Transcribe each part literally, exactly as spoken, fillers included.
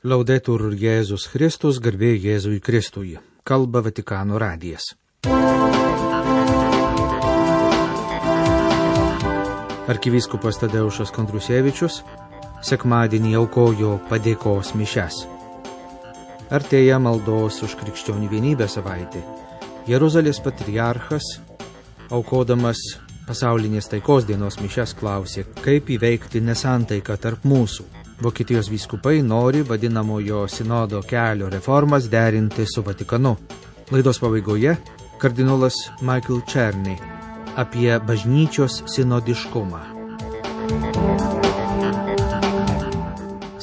Laudetur Jėzus Kristus, garbė Jėzui Kristui. Kalba Vatikano radijas. Arkivyskupas Tadeušas Kondrusevičius sekmadienį aukojo padėkos mišias. Artėja maldos už krikščionių vienybę savaitė. Jeruzalės patriarchas, aukodamas pasaulinės taikos dienos mišias, klausė, kaip įveikti nesantaiką tarp mūsų. Vokietijos vyskupai nori vadinamojo sinodo kelio reformas derinti su Vatikanu. Laidos pabaigoje kardinolas Michael Černy apie bažnyčios sinodiškumą.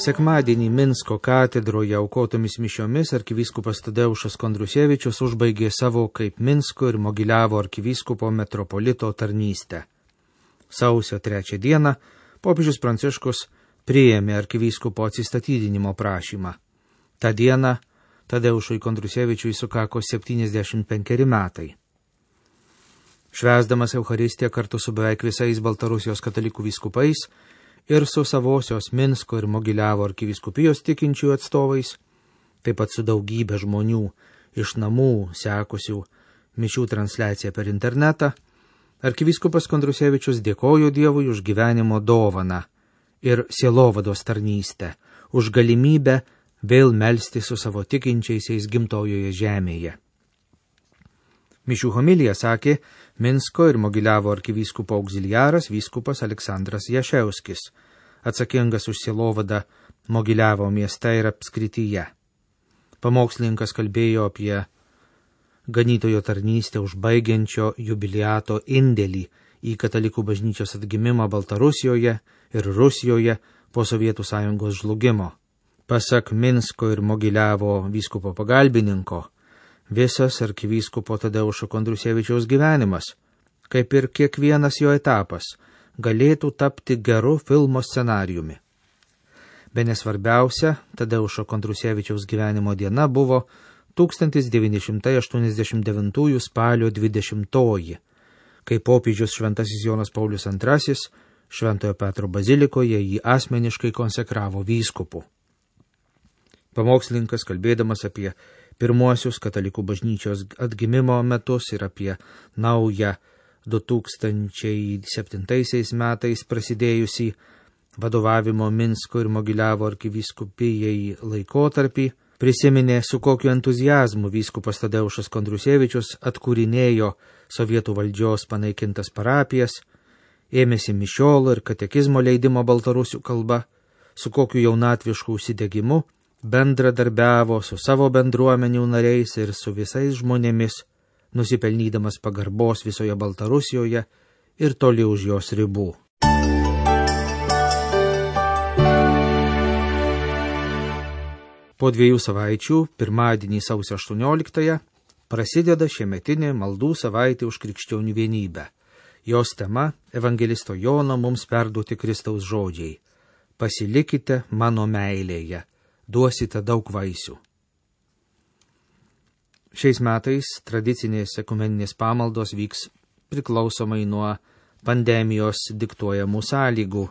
Sekmadienį Minsko katedroje aukotomis mišiomis arkivyskupas Tadeušas Kondrusevičius užbaigė savo kaip Minsko ir Mogiliavo arkivyskupo metropolito tarnystę. Sausio trečią dieną popiežius Pranciškus priėmė arkivyskupo atsistatydinimo prašymą. Ta diena Tadeušui Kondrusevičiui sukako septyniasdešimt penkeri metai. Švęsdamas Eucharistiją kartu su beveik visais Baltarusijos katalikų vyskupais ir su savosios Minsko ir Mogiliavo arkivyskupijos tikinčių atstovais, taip pat su daugybė žmonių iš namų sekusių mišių transliaciją per internetą, arkivyskupas Kondrusevičius dėkojo Dievui už gyvenimo dovaną ir sielovados tarnystę, už galimybę vėl melsti su savo tikinčiaisiais gimtojoje žemėje. Mišių homiliją sakė Minsko ir Mogiliavo arkivyskupo auxiliaras vyskupas Aleksandras Jaševskis, atsakingas už sielovadą Mogiliavo mieste ir apskrityje. Pamokslininkas kalbėjo apie ganytojo tarnystę užbaigiančio jubiliato indėlį į katalikų bažnyčios atgimimą Baltarusijoje ir Rusijoje po Sovietų sąjungos žlugimo. Pasak Minsko ir Mogiliavo vyskupo pagalbininko, visas arkivyskupo Tadeušo Kondrusevičiaus gyvenimas, kaip ir kiekvienas jo etapas, galėtų tapti geru filmo scenarijumi. Bene svarbiausia Tadeušo Kondrusevičiaus gyvenimo diena buvo tūkstantis devyni šimtai aštuoniasdešimt devintųjų spalio dvidešimtoji, kai popiežius šventasis Jonas Paulius antrasis Šventojo Petro bazilikoje jį asmeniškai konsekravo vyskupu. Pamokslininkas, kalbėdamas apie pirmuosius katalikų bažnyčios atgimimo metus ir apie naują du tūkstančiai septintaisiais metais prasidėjusį vadovavimo Minsko ir Mogiliavo arkivyskupijai laikotarpį, prisiminė, su kokiu entuziazmu vyskupas Tadeušas Kondrusevičius atkūrinėjo sovietų valdžios panaikintas parapijas, ėmėsi mišiolo ir katekizmo leidimo baltarusių kalba, su kokiu jaunatvišku užsidegimu bendradarbiavo su savo bendruomenių nariais ir su visais žmonėmis, nusipelnydamas pagarbos visoje Baltarusijoje ir toli už jos ribų. Po dviejų savaičių, pirmadienį sausio aštuonioliktąją, prasideda šiemetinė maldų savaitė už krikščionių vienybę. Jos tema – evangelisto Jono mums perduoti Kristaus žodžiai. Pasilikite mano meilėje, duosite daug vaisių. Šiais metais tradicinės ekumeninės pamaldos vyks priklausomai nuo pandemijos diktuojamų sąlygų.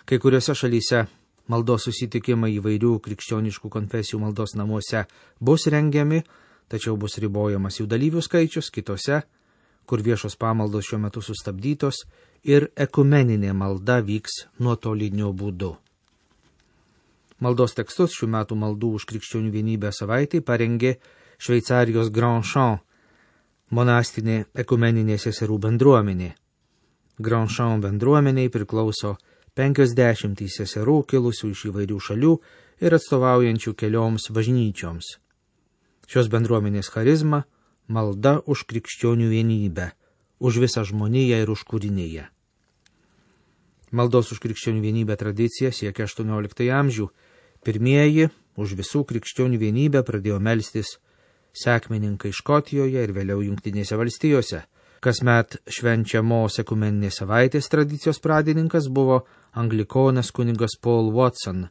Kai kuriuose šalyse maldos susitikimai įvairių krikščioniškų konfesijų maldos namuose bus rengiami, tačiau bus ribojamas jų dalyvių skaičius, kitose, kur viešos pamaldos šiuo metu sustabdytos ir ekumeninė malda vyks nuotoliniu būdu. Maldos tekstus šių metų maldų už krikščionių vienybę savaitei parengė Šveicarijos Grand Champ monastinė ekumeninė seserų bendruomenė. Grand Champ bendruomeniai priklauso penkiasdešimtys seserų kilusių iš įvairių šalių ir atstovaujančių kelioms bažnyčioms. Šios bendruomenės charizma – malda už krikščionių vienybę, už visą žmoniją ir už kūriniją. Maldos už krikščionių vienybę tradicija siekia aštuonioliktąjį amžių. Pirmieji už visų krikščionių vienybę pradėjo melstis sekmininkai Škotijoje ir vėliau Jungtinėse valstijose. Kasmet švenčiamos ekumeninės savaitės tradicijos pradininkas buvo anglikonas kunigas Paul Watson,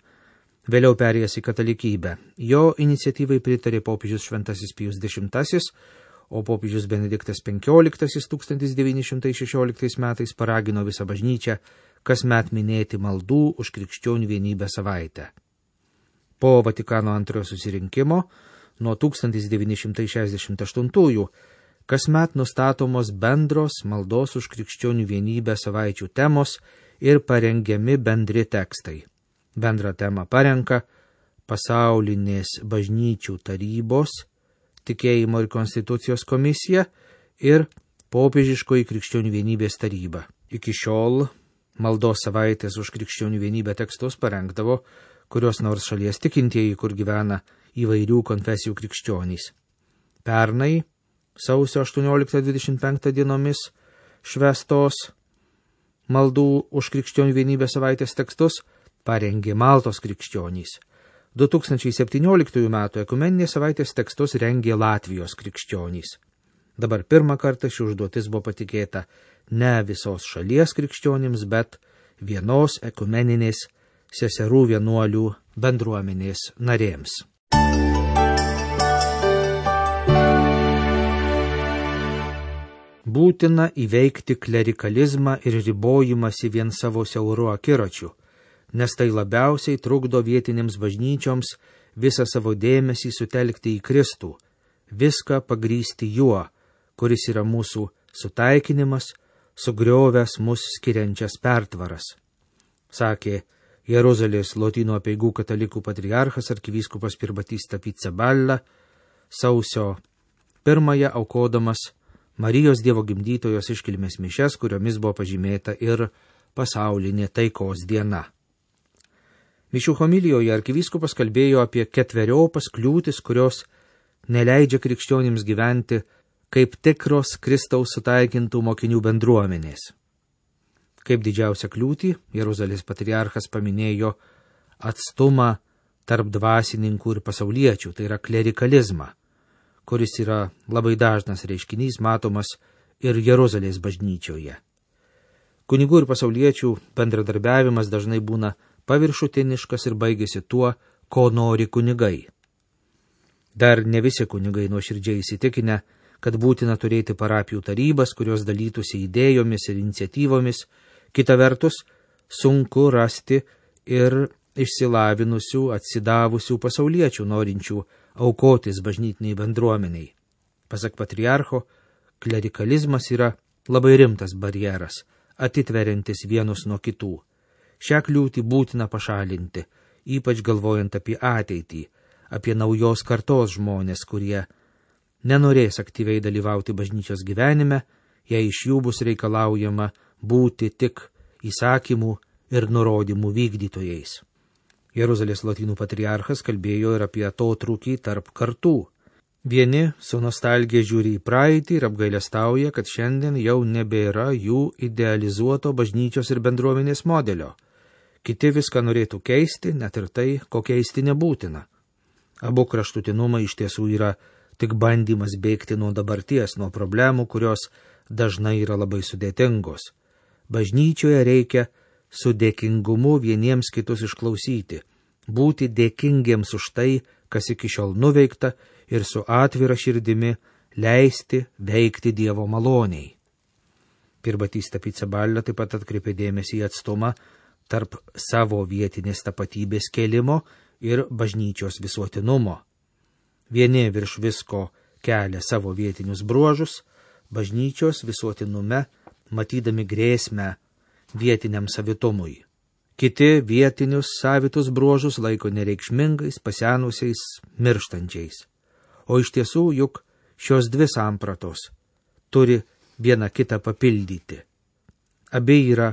vėliau perėjęs į katalikybę. Jo iniciatyvai pritarė popiežius šventasis Pijus dešimtasis, o popiežius Benediktas penkioliktasis tūkstantis devyni šimtai šešioliktais metais paragino visą bažnyčią kasmet minėti maldų už krikščionių vienybę savaitę. Po Vatikano antrojo susirinkimo nuo tūkstantis devyni šimtai šešiasdešimt aštuntųjų kasmet nustatomos bendros maldos už krikščionių vienybę savaičių temos ir parengiami bendri tekstai. Bendrą temą parenka Pasaulinės bažnyčių tarybos, Tikėjimo ir konstitucijos komisija ir Popiežiškoji krikščionių vienybės taryba. Iki šiol maldos savaitės už krikščionių vienybę tekstus parengdavo kurios nors šalies tikintieji, kur gyvena įvairių konfesijų krikščionys. Pernai sausio aštuonioliktą dvidešimt penktą dienomis švęstos maldų už krikščionių vienybę savaitės tekstus parengė Maltos krikščionys. du tūkstančiai septynioliktųjų metų ekumeninės savaitės tekstus rengė Latvijos krikščionys. Dabar pirmą kartą ši užduotis buvo patikėta ne visos šalies krikščionims, bet vienos ekumeninės seserų vienuolių bendruomenės narėms. Būtina įveikti klerikalizmą ir ribojimąsi vien savo siauru akiračiu, nes tai labiausiai trukdo vietinėms bažnyčioms visą savo dėmesį sutelkti į Kristų, viską pagrįsti juo, kuris yra mūsų sutaikinimas, sugriovęs mus skiriančias pertvaras, sakė Jeruzalės Lotynų apeigų katalikų patriarchas arkivyskupas Pierbattista Pizzaballa sausio pirmąją aukodamas Marijos Dievo gimdytojos iškilmės mišias, kuriomis buvo pažymėta ir pasaulinė taikos diena. Mišių homilijoje arkivyskupas kalbėjo apie ketveriopas kliūtis, kurios neleidžia krikščionims gyventi kaip tikros Kristaus sutaikintų mokinių bendruomenės. Kaip didžiausią kliūtį Jeruzalės patriarchas paminėjo atstumą tarp dvasininkų ir pasauliečių, tai yra klerikalizmą, kuris yra labai dažnas reiškinys matomas ir Jeruzalės bažnyčioje. Kunigų ir pasauliečių bendradarbiavimas dažnai būna paviršutiniškas ir baigėsi tuo, ko nori kunigai. Dar ne visi kunigai nuoširdžiai įsitikinę, kad būtina turėti parapijų tarybas, kurios dalytųsi idėjomis ir iniciatyvomis. Kita vertus, sunku rasti ir išsilavinusių, atsidavusių pasauliečių, norinčių aukotis bažnytiniai bendruomeniai. Pasak patriarcho, klerikalizmas yra labai rimtas barjeras, atitveriantis vienus nuo kitų. Šią kliūtį būtina pašalinti, ypač galvojant apie ateitį, apie naujos kartos žmonės, kurie nenorės aktyviai dalyvauti bažnyčios gyvenime, jei iš jų bus reikalaujama būti tik įsakymų ir nurodymų vykdytojais. Jeruzalės Lotynų patriarchas kalbėjo ir apie atotrūkį tarp kartų. Vieni su nostalgija žiūri į praeitį ir apgailestauja, kad šiandien jau nebėra jų idealizuoto bažnyčios ir bendruomenės modelio. Kiti viską norėtų keisti, net ir tai, ko keisti nebūtina. Abu kraštutinumai iš tiesų yra tik bandymas bėgti nuo dabarties, nuo problemų, kurios dažnai yra labai sudėtingos. Bažnyčioje reikia su dėkingumu vieniems kitus išklausyti, būti dėkingiems už tai, kas iki šiol nuveikta, ir su atvira širdimi leisti veikti Dievo maloniai. Pierbattista Pizzaballa taip pat atkreipė dėmesį į atstumą tarp savo vietinės tapatybės kėlimo ir bažnyčios visuotinumo. Vieni virš visko kelia savo vietinius bruožus, bažnyčios visuotinume matydami grėsmę vietiniam savitumui. Kiti vietinius savitus bruožus laiko nereikšmingais, pasenusiais, mirštančiais. O iš tiesų juk šios dvi sampratos turi viena kitą papildyti. Abi yra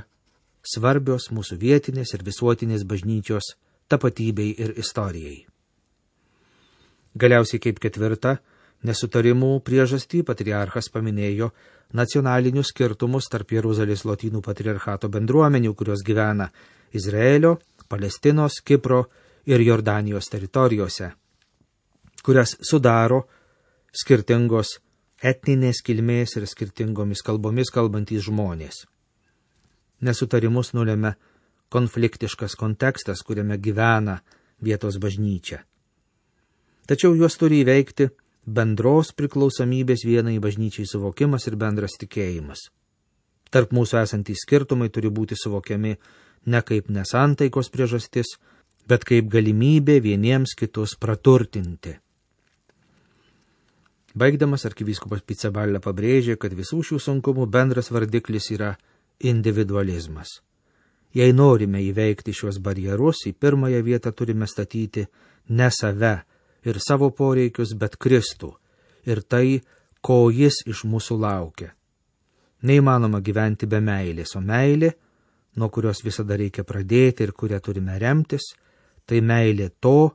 svarbios mūsų vietinės ir visuotinės bažnyčios tapatybei ir istorijai. Galiausiai kaip ketvirta, nesutarimų priežastį patriarchas paminėjo nacionalinius skirtumus tarp Jeruzalės Lotynų patriarchato bendruomenių, kurios gyvena Izraelio, Palestinos, Kipro ir Jordanijos teritorijose, kurias sudaro skirtingos etninės kilmės ir skirtingomis kalbomis kalbantys žmonės. Nesutarimus nulėmė konfliktiškas kontekstas, kuriame gyvena vietos bažnyčia. Tačiau juos turi įveikti bendros priklausomybės vienai bažnyčiai suvokimas ir bendras tikėjimas. Tarp mūsų esantys skirtumai turi būti suvokiami ne kaip nesantaikos priežastis, bet kaip galimybė vieniems kitus praturtinti. Baigdamas arkivyskupas Pizzaballa pabrėžė, kad visų šių sunkumų bendras vardiklis yra individualizmas. Jei norime įveikti šios barjerus, į pirmąją vietą turime statyti ne save ir savo poreikius, bet Kristų ir tai, ko jis iš mūsų laukia. Neįmanoma gyventi be meilės, o meilė, nuo kurios visada reikia pradėti ir kurią turime remtis, tai meilė to,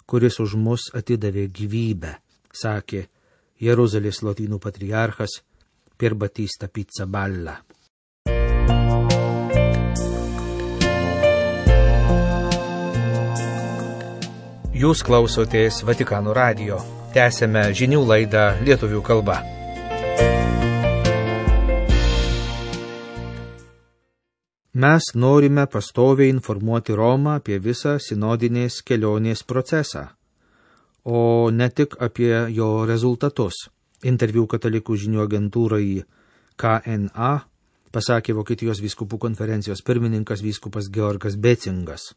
kuris už mus atidavė gyvybę, sakė Jeruzalės lotynų patriarchas Pier Battista Pizzaballa. Jūs klausotės Vatikano radijo. Tęsėme žinių laidą lietuvių kalba. Mes norime pastoviai informuoti Romą apie visą sinodinės kelionės procesą, o ne tik apie jo rezultatus. Interviu katalikų žinių agentūrai K N A pasakė Vokietijos vyskupų konferencijos pirmininkas vyskupas Georgas Becingas.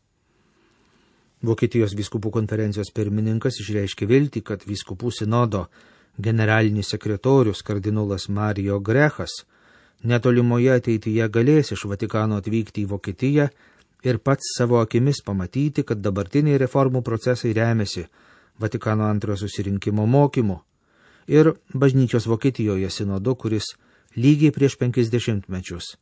Vokietijos vyskupų konferencijos pirmininkas išreiškė viltį, kad vyskupų sinodo generalinis sekretorius kardinolas Mario Grechas netolimoje ateityje galės iš Vatikano atvykti į Vokietiją ir pats savo akimis pamatyti, kad dabartiniai reformų procesai remiasi Vatikano antrojo susirinkimo mokymu ir bažnyčios Vokietijoje sinodu, kuris lygiai prieš penkis dešimtmečius,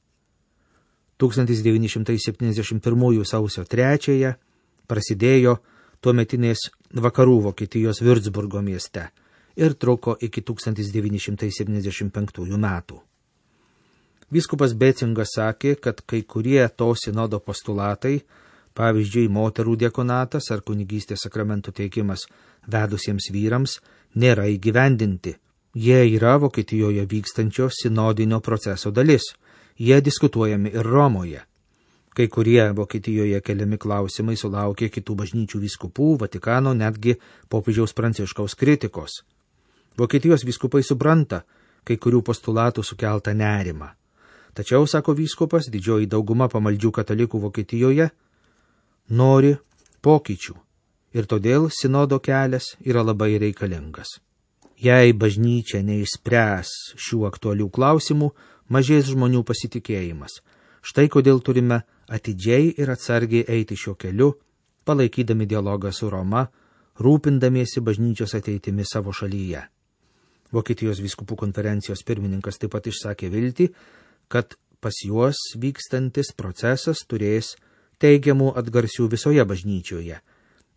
tūkstantis devyni šimtai septyniasdešimt pirmųjų sausio trečiąją, prasidėjo tuometinės vakarų Vokietijos Würzburgo mieste ir truko iki tūkstantis devyni šimtai septyniasdešimt penktųjų metų. Vyskupas Becingas sakė, kad kai kurie to sinodo postulatai, pavyzdžiui, moterų diakonatas ar kunigystės sakramentų teikimas vedusiems vyrams, nėra įgyvendinti. Jie yra Vokietijoje vykstančio sinodinio proceso dalis. Jie diskutuojami ir Romoje. Kai kurie Vokietijoje keliami klausimai sulaukė kitų bažnyčių vyskupų, Vatikano, netgi popiežiaus Pranciškaus kritikos. Vokietijos vyskupai supranta kai kurių postulatų sukeltą nerimą. Tačiau, sako vyskupas, didžioji dauguma pamaldžių katalikų Vokietijoje nori pokyčių ir todėl sinodo kelias yra labai reikalingas. Jei bažnyčia neišspręs šių aktualių klausimų, mažės žmonių pasitikėjimas. Štai kodėl turime atidžiai ir atsargiai eiti šiuo keliu, palaikydami dialogą su Roma, rūpindamiesi bažnyčios ateitimi savo šalyje. Vokietijos vyskupų konferencijos pirmininkas taip pat išsakė viltį, kad pas juos vykstantis procesas turės teigiamų atgarsių visoje bažnyčioje,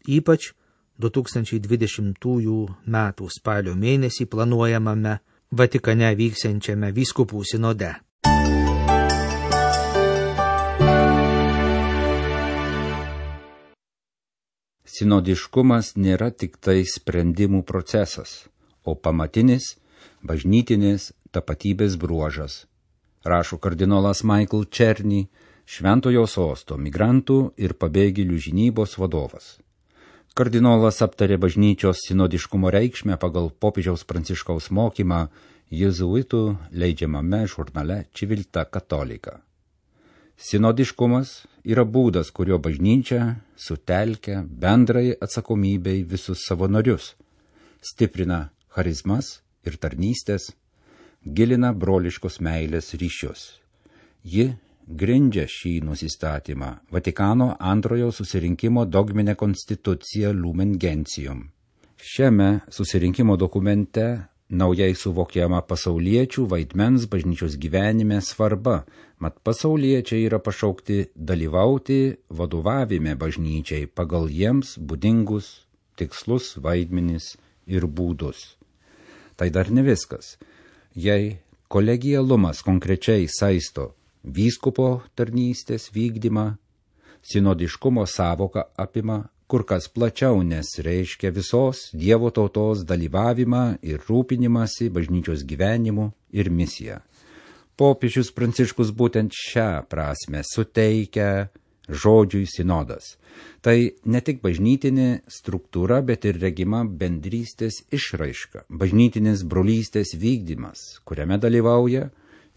ypač du tūkstančiai dvidešimtųjų metų spalio mėnesį planuojamame Vatikane vyksiančiame vyskupų sinode. Sinodiškumas nėra tik tai sprendimų procesas, o pamatinis bažnytinės tapatybės bruožas, rašo kardinolas Michael Černy, Šventojo Sosto migrantų ir pabėgėlių žinybos vadovas. Kardinolas aptarė bažnyčios sinodiškumo reikšmę pagal popiežiaus Pranciškaus mokymą jėzuitų leidžiamame žurnale Civiltà Cattolica. Sinodiškumas yra būdas, kurio bažnyčia sutelkia bendrai atsakomybei visus savo narius, stiprina charizmas ir tarnystės, gilina broliškos meilės ryšius. Ji grindžia šį nusistatymą Vatikano antrojo susirinkimo dogminę konstituciją Lumen Gentium. Šiame susirinkimo dokumente naujai suvokiama pasauliečių vaidmens bažnyčios gyvenime svarba, mat pasauliečiai yra pašaukti dalyvauti vadovavime bažnyčiai pagal jiems būdingus tikslus, vaidmenis ir būdus. Tai dar ne viskas. Jei kolegialumas konkrečiai saisto vyskupo tarnystės vykdymą, sinodiškumo savoka apima kur kas plačiau, nes reiškia visos Dievo tautos dalyvavimą ir rūpinimąsi bažnyčios gyvenimu ir misiją. Popiežius Pranciškus būtent šią prasme suteikia žodžiui sinodas. Tai ne tik bažnytinė struktūra, bet ir regima bendrystės išraiška, bažnytinės brolystės vykdymas, kuriame dalyvauja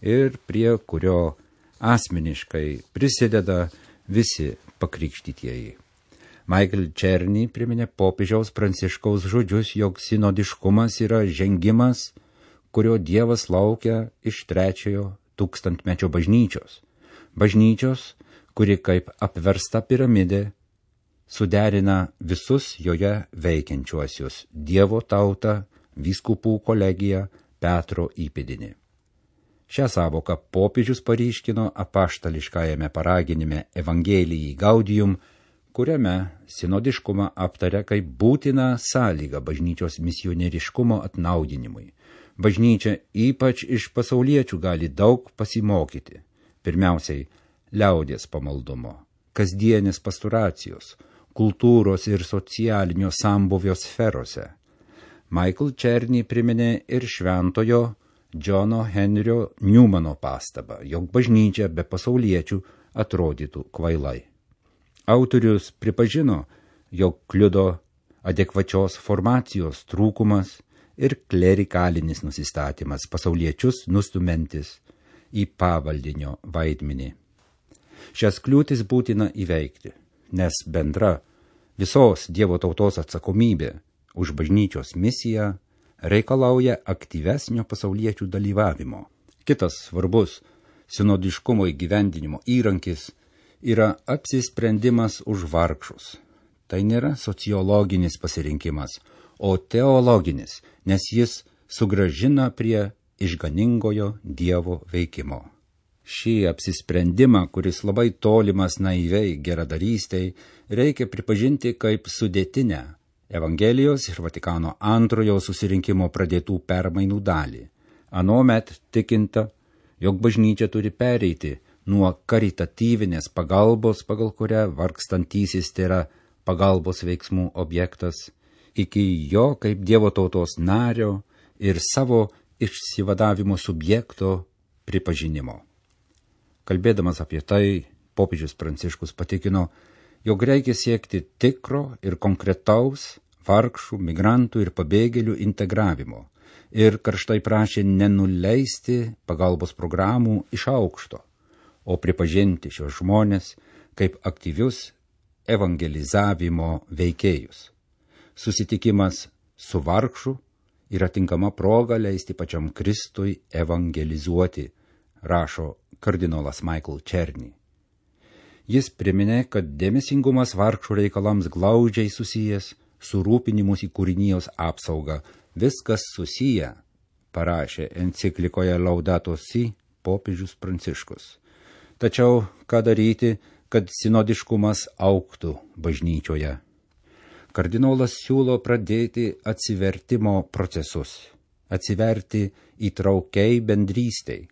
ir prie kurio asmeniškai prisideda visi pakrikštytieji. Michael Černy priminė popiežiaus Pranciškaus žodžius, jog sinodiškumas yra žengimas, kurio Dievas laukia iš trečiojo tūkstantmečio bažnyčios. Bažnyčios, kuri kaip apversta piramidė suderina visus joje veikiančiuosius Dievo tautą, vyskupų kolegiją, Petro įpėdinį. Šią savoką popiežius paryškino apaštališkajame paraginime Evangelijai Gaudium, kuriame sinodiškumą aptaria kaip būtiną sąlygą bažnyčios misionieriškumo atnaudinimui. Bažnyčia ypač iš pasauliečių gali daug pasimokyti. Pirmiausiai, liaudies pamaldumo, kasdienės pasturacijos, kultūros ir socialinio sambuvio sferose. Michael Černy priminė ir šventojo Džono Henrio Newmano pastabą, jog bažnyčia be pasauliečių atrodytų kvailai. Autorius pripažino, jog kliudo adekvačios formacijos trūkumas ir klerikalinis nusistatymas pasauliečius nustumentis į pavaldinio vaidmenį. Šias kliūtis būtina įveikti, nes bendra visos Dievo tautos atsakomybė už bažnyčios misiją reikalauja aktyvesnio pasauliečių dalyvavimo. Kitas svarbus sinodiškumo įgyvendinimo įrankis yra apsisprendimas už vargšus. Tai nėra sociologinis pasirinkimas, o teologinis, nes jis sugrąžina prie išganingojo Dievo veikimo. Šį apsisprendimą, kuris labai tolimas naiviai geradarystei, reikia pripažinti kaip sudėtinę Evangelijos ir Vatikano antrojo susirinkimo pradėtų permainų dalį. Anuomet tikinta, jog bažnyčia turi pereiti nuo karitatyvinės pagalbos, pagal kurią vargstantysis tėra pagalbos veiksmų objektas, iki jo kaip Dievo tautos nario ir savo išsivadavimo subjekto pripažinimo. Kalbėdamas apie tai, popiežius Pranciškus patikino, jog reikia siekti tikro ir konkretaus vargšų, migrantų ir pabėgėlių integravimo ir karštai prašė nenuleisti pagalbos programų iš aukšto, o pripažinti šios žmonės kaip aktyvius evangelizavimo veikėjus. Susitikimas su vargšu yra tinkama proga leisti pačiam Kristui evangelizuoti, rašo kardinolas Michael Černy. Jis priminė, kad dėmesingumas vargšų reikalams glaudžiai susijęs su rūpinimus į kūrinijos apsaugą. Viskas susiję, parašė enciklikoje Laudato Si popiežius Pranciškus. Tačiau ką daryti, kad sinodiškumas augtų bažnyčioje? Kardinolas siūlo pradėti atsivertimo procesus, atsiverti įtraukiai bendrystei,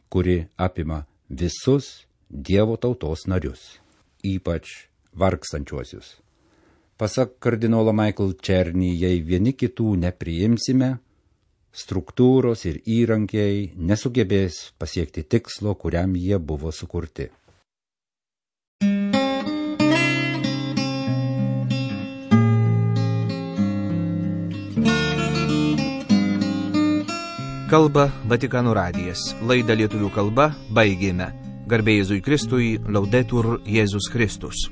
kuri apima visus Dievo tautos narius, ypač vargstančiuosius. Pasak kardinolo Michael Černy, jei vieni kitų nepriimsime, struktūros ir įrankiai nesugebės pasiekti tikslo, kuriam jie buvo sukurti. Kalba Vatikano radijas. Laidą lietuvių kalba baigėme. Garbė Jėzui Kristui, Laudetur Jėzus Kristus.